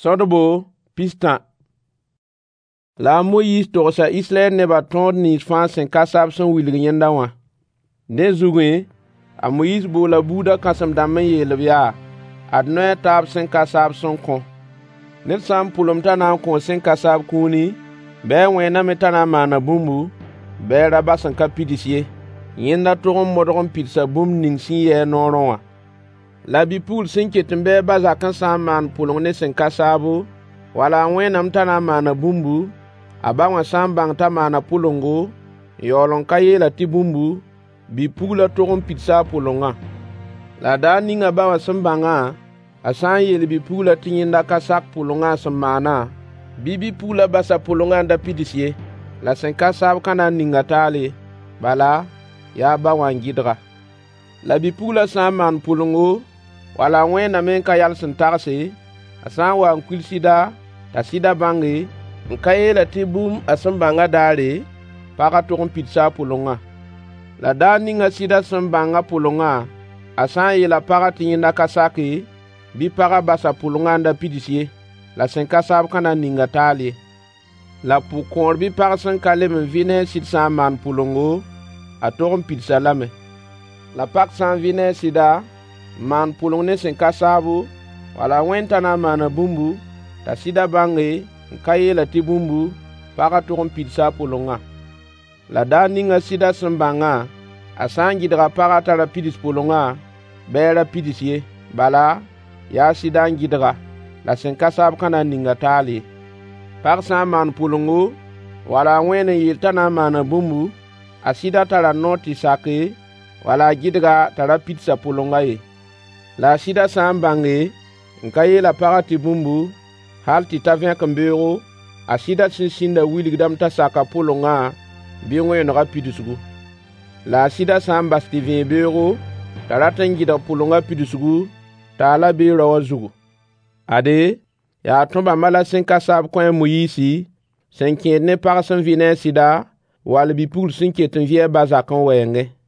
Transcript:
Sõdbo 13. La a Moyiis togsa Israyɛl nebã tõod nins fãa sẽn ka saab sẽn wilg yẽnda wã. Dẽ zugẽ, a Moyiis boola buudã kãsem-dãmb n yeel-b yaa: Ad noy a taab sẽn ka saab sẽn kõ. Ned sã n pʋlemd t'a na n kõo sẽn ka saab kũuni, bɩ a wẽname t'a na n maana bũmbu, bɩ a ra bas n ka pids ye. Yẽnda tog n modg n pidsa bũmb ning sẽn yɩ-a noorẽ wã. La bi-pugl sẽn ket n be a ba zakẽ sã n maan pʋleng ne sẽn ka saabo, wala a wẽname t'a na n maana bũmbu, a ba wã sã n bãng t'a maana pʋlengo, n yaool n ka yeel-a tɩ bũmbu, bi-puglã tog n pidsa a pʋlengã. La daar ning a ba wã sẽn bãngã, a sã n yeel bi-puglã tɩ yẽnda ka sak pʋlengã a sẽn maanã, bɩ bi-puglã bas a pʋlengã n da pids ye. La sẽn ka saab ka na n ning a taal ye, bala, yaa ba wã n gɩdg-a. La bi-puglã sã n maan pʋlengo, wala a wẽename n ka yal sẽn tagse, a sã n wa n kuil sɩda, t'a sɩda bãnge, n ka yeel-a tɩ bũmb a sẽn bãngã daare, pagã tog n pidsa a pʋlengã. La daar ning a sɩda sẽn bãng a pʋlengã, a sã n yeel a pagã tɩ yẽnda ka sake, bɩ pagã bas a pʋlengã n da pids ye. La sẽn ka saab ka na n ning a taal ye. La pʋgkõor bɩ pag sẽn ka leb n vɩ ne a sɩd sã n maan pʋlengo, a tog n pids-a lame. La pag sã n vɩ ne a sɩda, n maan pʋleng ne sẽn ka saabo, wala a wẽnd t'a na n maana bũmbu, t'a sɩda bãnge, n ka yeel-a tɩ bũmbu, pagã tog n pidsa a pʋlengã. La daar ning a sɩda sẽn bãngã, a sã n gɩdg a pagã t'a ra pids pʋlengã, bɩ a ra pids ye. Bala, yaa sɩda n gɩdg-a. La sẽn ka saab ka na n ning a taal ye. Pag sã n maan pʋlengo, wala a wẽen n yeel t'a na n maana bũmbu, a sɩda tara noor tɩ sake, wala a gɩdg-a t'a ra pids a pʋlengã ye. La a sɩda sã n bãnge, n ka yeel a pagã tɩ bũmbu, hal tɩ ta vẽkembeoogo, a sɩda sẽn sĩndã wilgdame t'a saka pʋlengã bɩ wẽenegã pidsgu. La a sɩda sã n bas tɩ vẽeg beoogo, t'a rat n gɩdg pʋlengã pidsgu, taala bee rao wã zugu. Ade, yaa tõ-bãmbã la sẽn ka saab kõ a Moyiisi, sẽn kẽed ne pag sẽn vɩ ne a sɩda, wall bi-pugl sẽn ket n vɩ a ba zakẽ wɛɛngẽ.